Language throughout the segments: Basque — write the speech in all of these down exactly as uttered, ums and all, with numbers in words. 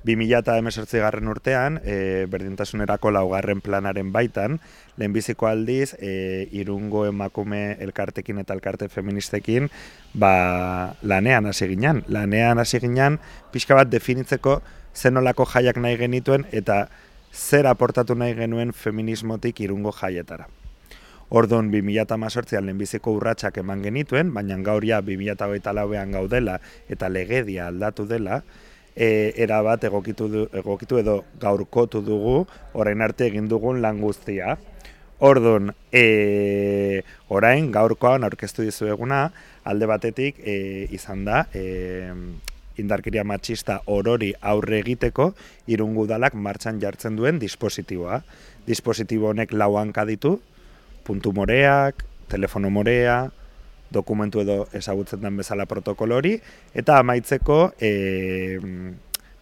bi mila hemezortzigarren urtean, e, berdintasunerako laugarren planaren baitan, lehenbiziko aldiz, e, Irungo emakume elkartekin eta elkarte feministekin ba, lanean hasi ginen. Lanean hasi ginen, pixka bat definitzeko zenolako jaiak nahi genituen eta zer aportatu nahi genuen feminismotik Irungo jaietara. Orduan, bi mila hemezortzian lehenbiziko urratsak eman genituen, baina gaur ja bi mila hogeita lauean gaudela eta legedia aldatu dela, e, erabat egokitu, du, egokitu edo gaurkotu dugu orain arte egin dugun lan guztia. Orduan, e, orain gaurkoan aurkeztu dizueguna, alde batetik e, izan da, e, indarkeria matxista orori aurre egiteko Irungo udalak martxan jartzen duen dispositiboa. Dispositibo honek lau hanka ditu, puntu moreak, telefono morea, dokumentu edo ezagutzen den bezala protokolo hori, eta amaitzeko e,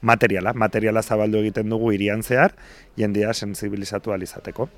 materiala. Materiala zabaldu egiten dugu hirian zehar, jendea sentsibilizatu ahal izateko.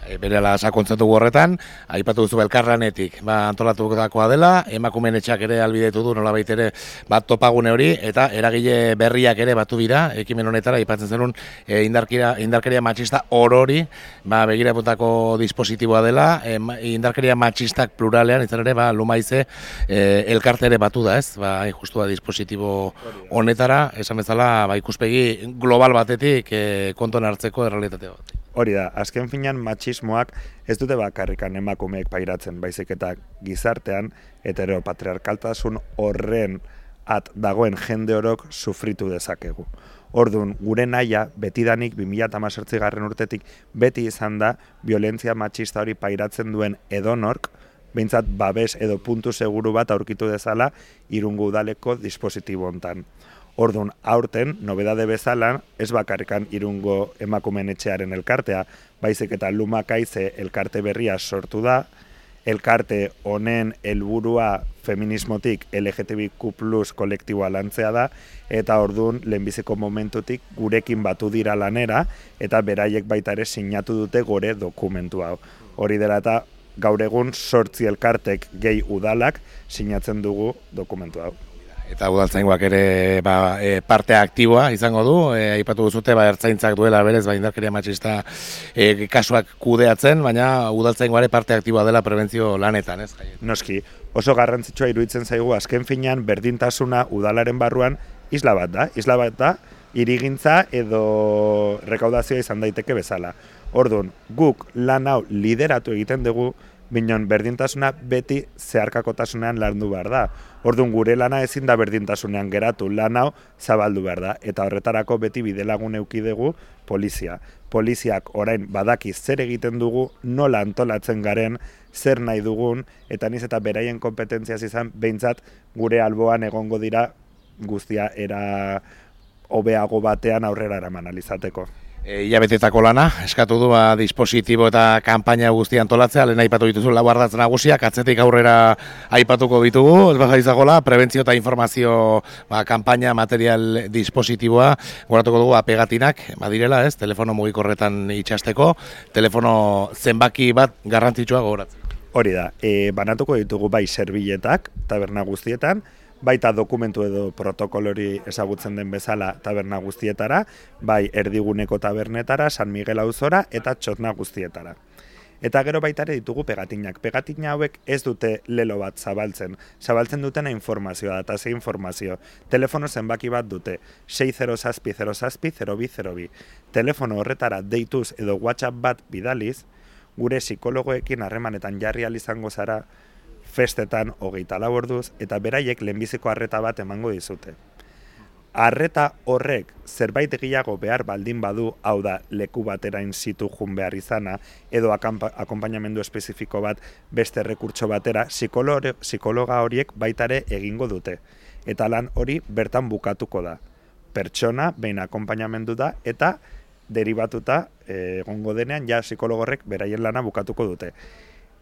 Berela sakontzatu horretan, aipatu duzu elkarlanetik, ba, antolatukoa dela, emakumeen etxeak ere albidetu du, nolabait ere bat topagune hori, eta eragile berriak ere batu dira, ekimen honetara, aipatzen zenun e, indarkeria, indarkeria matxista orori, ba, begiraputako dispositiboa dela, e, indarkeria matxistak pluralean, izan ere, ba, Lumaize e, elkarte ere batu da, ez? Ba, justua dispositibo honetara, esan bezala, ba, ikuspegi global batetik e, konton hartzeko errealitate bat. Hori da, azken finean matxismoak ez dute bakarrikan emakumeek pairatzen, baizik eta gizartean heteropatriarkaltasun horren at dagoen jende orok sufritu dezakegu. Orduan, gure nahia betidanik bi mila hemezortzigarren urtetik beti izan da violentzia matxista hori pairatzen duen edonork, behintzat babes edo puntu seguru bat aurkitu dezala Irungo udaleko dispositibo hontan. Orduan, aurten, nobedade bezala, ez bakarrikan Irungo emakumeen etxearen elkartea, baizik eta Lumakaize elkarte berria sortu da, elkarte honen helburua feminismotik L G T B Q plus kolektiboa lantzea da, eta orduan, lehenbiziko momentutik gurekin batu dira lanera, eta beraiek baita ere sinatu dute gore dokumentu hau. Hori dela eta gaur egun sortzi elkartek gehi udalak sinatzen dugu dokumentu hau. Eta udaltzaingoak ere ba, e, parte aktiboa izango du, e, aipatu duzute ba, ertzaintzak duela berez ba, indarkeria matxista e, kasuak kudeatzen, baina udaltzaingoare parte aktiboa dela prebentzio lanetan, ez? Noski, oso garrantzitsua iruditzen zaigu azken finean berdintasuna udalaren barruan isla bat da, isla bat da, hirigintza edo rekaudazioa izan daiteke bezala. Orduan, guk lan hau lideratu egiten dugu, binon berdintasuna beti zeharkakotasunean landu behar da. Orduan gure lana ezin da berdintasunean geratu, lan hau zabaldu behar da. Eta horretarako beti bidelagun eduki dugu polizia. Poliziak orain badaki zer egiten dugu, nola antolatzen garen, zer nahi dugun, eta niz eta beraien kompetentziaz izan, behintzat gure alboan egongo dira guztia era hobeago batean aurrera eraman alizateko. Ilabetetako lana, eskatu du ba, dispositibo eta kanpaina guztia antolatzea, lehen aipatu dituzu lau ardatz nagusiak, atzetik aurrera aipatuko ditugu, ez baja izagola, prebentzio eta informazio ba, kanpaina material dispositiboa, goratuko dugu apegatinak, badirela, ez, telefono mugikorretan itxasteko, telefono zenbaki bat garrantzitsua gogoratzen. Hori da, e, banatuko ditugu bai serbiletak, taberna guztietan, baita dokumentu edo protokolori ezagutzen den bezala taberna guztietara, bai erdiguneko tabernetara, San Miguel auzora eta txotna guztietara. Eta gero baita ere ditugu pegatinak. Pegatina hauek ez dute lelo bat zabaltzen. Zabaltzen dutena informazioa da, eta ze informazio. Telefono zenbaki bat dute, sei zero zazpi zero zazpi zero bi zero bi. Telefono horretara deituz edo WhatsApp bat bidaliz, gure psikologoekin harremanetan jarri ahal izango zara, festetan hogeita lau orduz, eta beraiek lehenbiziko arreta bat emango dizute. Arreta horrek zerbait gehiago behar baldin badu, hau da leku batera in situ jun behar izana, edo akonpainamendu espezifiko bat beste rekurtso batera, psikologa horiek baitare egingo dute. Eta lan hori bertan bukatuko da. Pertsona, behin akonpainamendu da, eta deribatuta egongo denean, ja psikologorrek beraien lana bukatuko dute.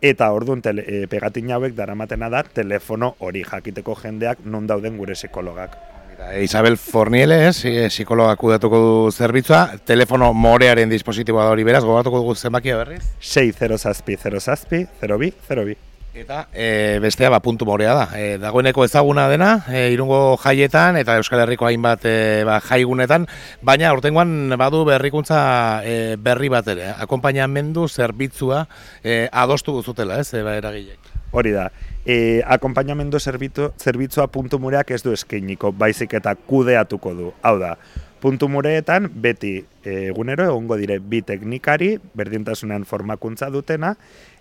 Eta orduan e, pegatin hauek daramatena da telefono hori jakiteko jendeak non dauden gure psikologak. Isabel Forniele, eh, psikologak kudeatuko du zerbitzua, telefono morearen dispositiboa hori beraz, gogatuko dugu zenbakia berriz? sei zero zazpi zero zazpi zero bi zero bi. Eta e, bestea ba, puntu morea da. E, dagoeneko ezaguna dena, e, Irungo jaietan eta Euskal Herriko hainbat e, ba, jaigunetan, baina aurtengoan badu berrikuntza e, berri bat ere, akonpainamendu zerbitzua e, adostu duzutela, ez, e, ba, eragilek. Hori da, e, akonpainamendu zerbitzua puntu mureak ez du eskainiko, baizik eta kudeatuko du. Hau da, puntu mureetan beti egunero egongo dire bi teknikari, berdintasunean formakuntza dutena,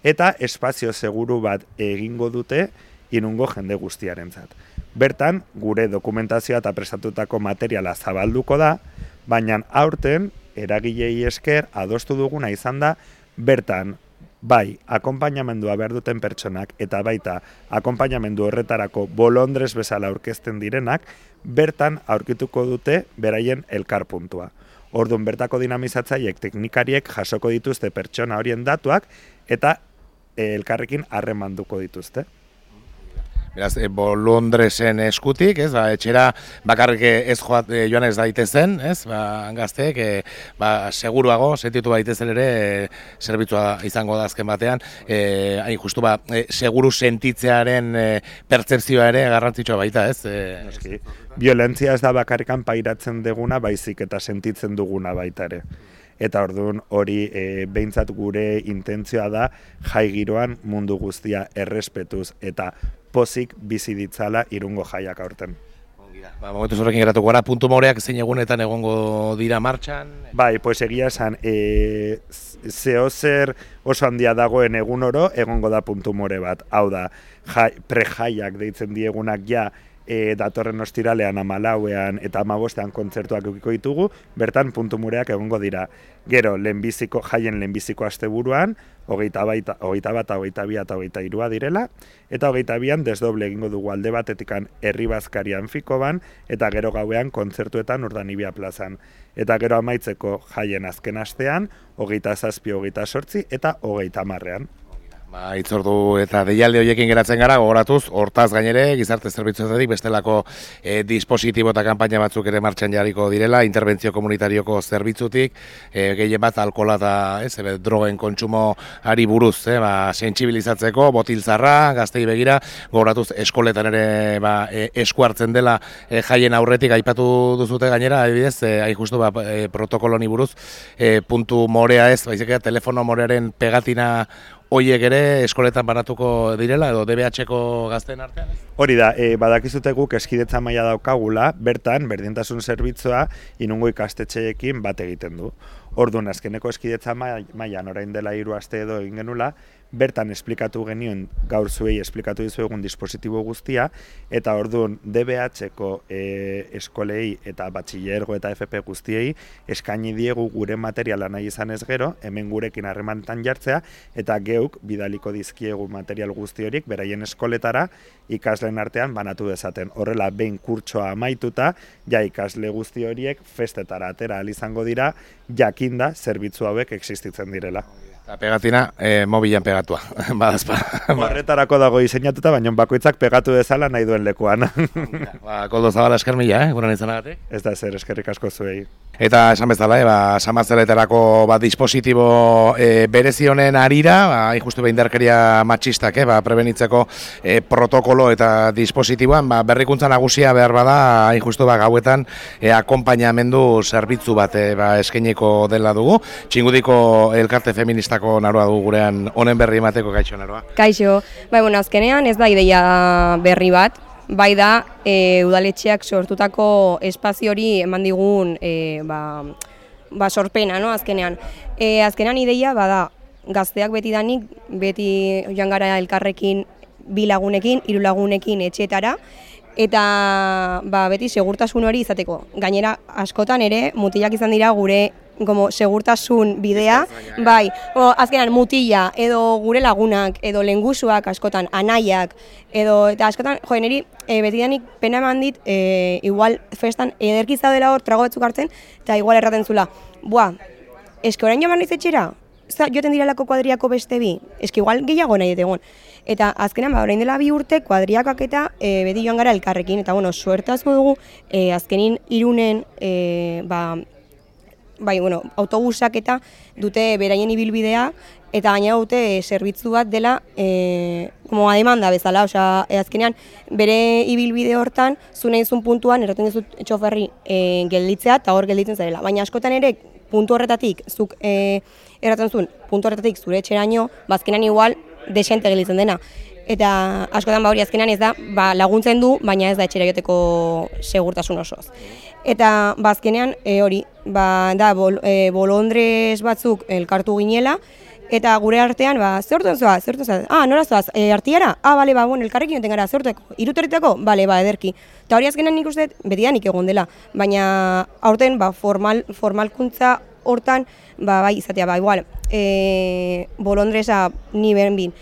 eta espazio seguru bat egingo dute Irungo jende guztiarentzat. Bertan, gure dokumentazioa eta prestatutako materiala zabalduko da, baina aurten, eragilei esker, adostu duguna izan da, bertan, bai, akonpainamendua behar duten pertsonak, eta baita, akonpainamendu horretarako bolondrez bezala aurkezten direnak, bertan aurkituko dute beraien elkarpuntua. Orduan, bertako dinamizatzaiek teknikariek jasoko dituzte pertsona horien datuak, eta elkarrekin harremanduko dituzte. Beraz, e, bolondresen eskutik, ez, ba, etxera bakarrik ez joat, e, joan ez daitezen, ez, ba, gazteek, e, ba, seguruago, sentitu daitezen ere, e, zerbitzua izango da azken batean, e, hain justu, ba, e, seguru sentitzearen e, pertzepzioa ere garrantzitsua baita, ez? E, Eski, violentzia ez da bakarrikan pairatzen deguna, baizik eta sentitzen duguna baita ere. Eta orduan hori e, behintzat gure intentzioa da jai giroan mundu guztia errespetuz eta pozik bizi ditzala Irungo jaiak aurten. Ba, momentu horrekin geratuko gara, puntu moreak zein egunetan egongo dira martxan? Bai, pues egia esan, e, zeo zer oso handia dagoen egun oro, egongo da puntu more bat. Hau da, jai, pre-jaiak deitzen diegunak ja, E, datorren ostiralean amalauean eta amabostean kontzertuak eukiko ditugu, bertan puntu mureak egongo dira. Gero, lehenbiziko, jaien lehenbiziko asteburuan, hogeita bat, hogeita bat, hogeita bi eta hogeita hirua direla, eta hogeita bian desdoble egingo dugu alde batetikan herri bazkarian fiko ban, eta gero gauean kontzertuetan Urdanibia plazan. Eta gero amaitzeko jaien azken astean, hogeita zazpi, hogeita sortzi eta hogeita marrean. Ba, itzordu eta deialde horiekin geratzen gara, gogoratuz, hortaz gainere, gizarte zerbitzuetatik bestelako e, dispositibo eta kanpaina batzuk ere martxan jarriko direla, interbentzio komunitarioko zerbitzutik, e, gehien bat alkola eta ez, ebe, drogen kontsumoari buruz, e, ba, sentsibilizatzeko, botiltzarra, gaztei begira, gogoratuz, eskoletan ere ba, e, esku hartzen dela e, jaien aurretik aipatu duzute gainera, adibidez, e, hain justu ba, e, protokoloni buruz, e, puntu morea ez, baizik telefono morearen pegatina hoiek ere eskoletan banatuko direla edo D B H-ko gazteen artean? Hori da, e, badakizute guk eskidetza maila daukagula, bertan, berdintasun zerbitzua Irungo ikastetxeekin bat egiten du. Orduan, azkeneko eskidetza mailan orain dela hiru aste edo egin genula, bertan esplikatu genioen, gaur zuei esplikatu dizuegun dispositibo guztia, eta orduan D B H-ko e, eskolei eta batxillergo eta F P guztiei eskaini diegu gure materiala nahi izan ez gero, hemen gurekin harremantan jartzea, eta geuk bidaliko dizkiegu material guzti horiek beraien eskoletara ikasleen artean banatu dezaten. Horrela, behin kurtsoa amaituta, ja ikasle guzti horiek festetara atera ahal izango dira, jakinda zerbitzu hauek existitzen direla. Eta pegatina, e, mobilan pegatua, badazpa. Horretarako dago diseinatuta, baina bakoitzak pegatu dezala nahi duen lekuan. Ba, Koldo Zabala esker mila, eh, guran izanagatik. Ez da zer, eskerrik asko zuei. Eta esan bezala, eh, ba, samatzeleterako ba, dispositibo e, berezi honen arira, ba, injustu behindarkeria matxistak, eh, ba, prebenitzeko e, protokolo eta dispositiboan, ba, berrikuntza nagusia behar bada, injustu ba, gauetan e, akonpainamendu zerbitzu bat e, ba, eskainiko dela dugu. Txingudiko elkarte feminista naroa du gurean honen berri emateko. Kaixo, Naroa. Kaixo, bai, bueno, azkenean ez da ideia berri bat, bai da e, udaletxeak sortutako espazio hori eman digun e, ba, ba sorpena, no, azkenean. E, azkenean ideia bada gazteak beti danik, beti joan gara elkarrekin bi lagunekin, hiru lagunekin etxeetara, eta ba, beti segurtasun hori izateko. Gainera, askotan ere, mutilak izan dira gure como segurtasun bidea, bai, o, azkenan mutila, edo gure lagunak, edo lengusuak, askotan anaiak, edo, eta askotan, jo, niri, e, betidanik pena eman dit, e, igual festan ederki zaudela hor trago batzuk hartzen, eta igual erraten zula, buah, eske orain joan naiz etxera, joten direlako kuadriako beste bi, eske igual gehiago nahi egon. Eta azkenan, ba, orain dela bi urte, kuadriakak eta e, beti joan gara elkarrekin, eta bueno, suertazko dugu, e, azkenin Irunen, e, ba, bai, bueno, autobusak eta dute beraien ibilbidea, eta gaina dute zerbitzu bat dela e, como a demanda bezala, osea, e, azkenean bere ibilbide hortan zu nahi duzun puntuan erraten dizut txoferri e, gelditzea eta hor gelditzen zarela. Baina askotan ere puntu horretatik zuk e, erraten zuen puntu horretatik zure etxeraino, bazkenan igual desente gelditzen dena. Eta askotan ba hori azkenan ez da, ba, laguntzen du, baina ez da etxera joteko segurtasun osoz. Eta bazkenean e, hori, ba, da bol, e, bolondrez batzuk elkartu ginela, eta gure artean, ba, zehortzen zoaz, zehortzen zoaz, ah, nora zoaz, e, artiara? Ah, bale, ba, bueno, elkarrekin joten gara, zehorteko, irutorritako? Bale, ba, ederki. Eta hori azkenan nik uste, betidanik egon dela, baina aurten, ba, formal, formalkuntza hortan, ba, bai, izatea, ba, igual, e, bolondreza ni beren bin,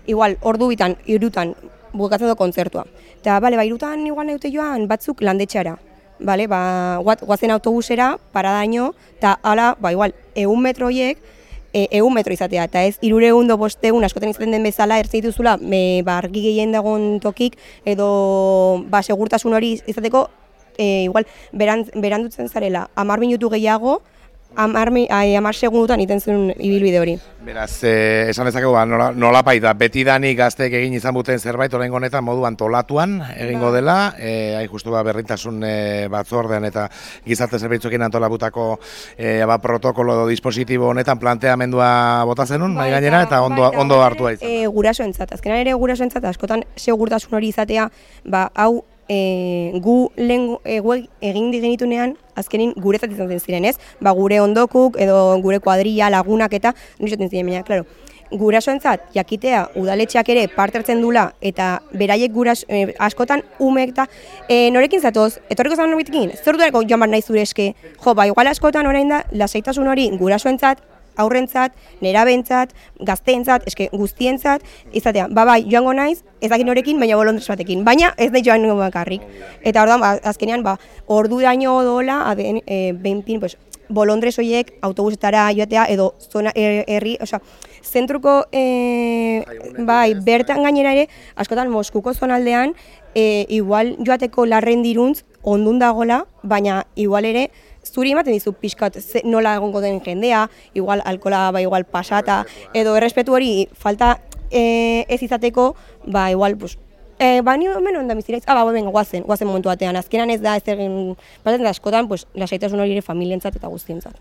igual, ordu bitan, irutan, bukatzen du kontzertua. Eta, bale, ba, irutan igual nahi joan batzuk landetxara. Bale, ba, guazen autobusera, paradaino, eta hala, ba, igual, egun metroiek, e, egun metro izatea, eta ez, irureun do bosteun, askoten izaten den bezala, ertzen dituzula, me, ba, argi gehien dagoen tokik, edo, ba, segurtasun hori izateko, e, igual, berand, berandutzen zarela, amar minutu gehiago, amar, amar segundutan iten zuen ibilbide hori. Beraz, eh, esan dezakegu, ba, nola, nola paita, betidanik gazteek egin izan buten zerbait, oraingo honetan moduan tolatuan egingo dela, eh, hain justu ba, berrintasun eh, batzordean eta gizarte zerbitzuekin antolabutako eh, ba, protokolo edo dispositibo honetan planteamendua bota zenun, mai gainera, eta ondo, ondo hartua izan. E, gurasoentzat, azkenan ere gurasoentzat, askotan segurtasun hori izatea, ba, hau, E, gu lehen e, egin digenitunean azkenin guretzat izan zen ziren, ez? Ba, gure ondokuk edo gure kuadrilla, lagunak eta nirezaten ziren, baina, klaro, gurasoentzat jakitea udaletxeak ere parte hartzen dula eta beraiek guras, e, askotan umek eta e, norekin zatoz, etorriko zan norbitekin, zer duareko joan bar nahi zure eske, jo, ba, igual askotan orain da, lasaitasun hori gurasoentzat, aurrentzat, nerabentzat, gazteentzat, eske guztientzat, izatea, ba bai, joango naiz, ez dakit norekin, baina bolondrez batekin, baina ez da joan bakarrik. Eta orduan, ba, azkenean, ba, ordu daño dola, aben, e, benpin, pues, bolondrez horiek autobusetara joatea, edo zona herri, osea, zentruko, e, bai, bertan gainera ere, askotan Moskuko zonaldean, e, igual joateko larren diruntz, ondun dagola, baina igual ere, zuri ematen dizu pixkat nola egongo den jendea, igual alkola, ba, igual pasata, edo errespetu hori falta e, ez izateko, ba, igual, pues, e, ba, ni hemen onda biziraiz, ah, ba, venga, guazen, guazen momentu batean, azkenan ez da, ez egin, batzen da askotan, pues, lasaitasun hori ere familientzat eta guztientzat.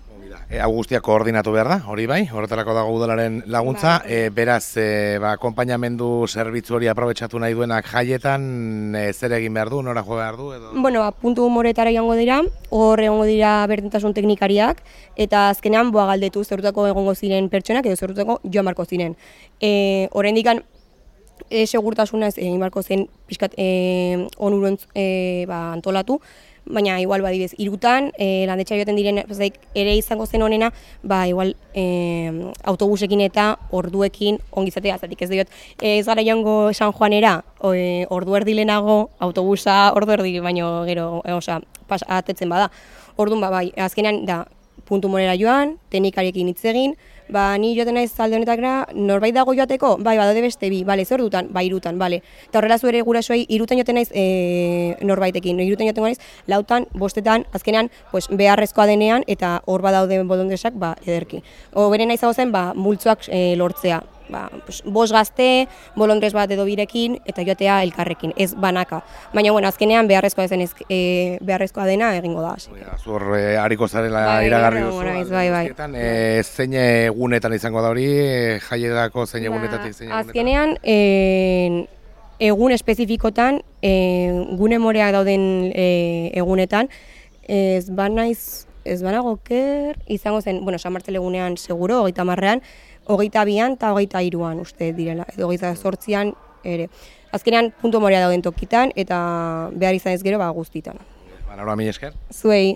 E, hau guztia koordinatu behar da, hori bai, horretarako dago udalaren laguntza, ba, e, beraz, e, ba, akompainamendu zerbitzu hori aprobetxatu nahi duenak jaietan, e, zer egin behar du, nora jo behar du? Edo? Bueno, ba, puntu humoretara joango dira, hor egongo dira berdintasun teknikariak, eta azkenean boa galdetu zerutako egongo ziren pertsonak edo zerutako joan barko ziren. E, Horrendikan, e, segurtasuna ez egin barko zen pixkat e, onurontz e, ba, antolatu, baina igual badibez irutan, e, landetxa joaten diren ere izango zen honena, ba igual e, autobusekin eta orduekin ongizatea, zatik ez diot, e, ez gara joango San Juanera, e, ordu erdi lehenago, autobusa ordu erdi baino gero, e, oza, pas, atetzen bada. Orduan, ba, bai, azkenean da, puntu morera joan, teknikariekin hitz egin, ba, ni joaten naiz alde honetakera, norbait dago joateko, bai, badaude beste bi, bale, zer dutan, ba, irutan, bale. Eta horrela zuere gurasoei, irutan joaten naiz e, norbaitekin, irutan joaten naiz, lautan, bostetan, azkenean, pues, beharrezkoa denean, eta hor badaude bolondresak, ba, ederki. Oberen naiz zen, ba, multzoak e, lortzea. Ba, pues, bos gazte, bolondrez bat edo birekin, eta joatea elkarrekin, ez banaka. Baina, bueno, azkenean beharrezkoa zen ez, e, beharrezkoa dena egingo da. Zur e, hariko zarela bai, iragarri duzu. Bai, bai. E, zein egunetan izango da hori, e, jaietako zein egunetatik zein egunetan? Azkenean, e, egun espezifikotan, e, gune moreak dauden e, egunetan, ez banaiz, ez banago ker, izango zen, bueno, San Martel egunean seguro, hogeita marrean, hogeita bian eta hogeita iruan uste direla, edo hogeita zortzian ere. Azkenean puntu morea dauden tokitan eta behar izan ez gero ba guztitan. Ba, nora mi esker? Zuei.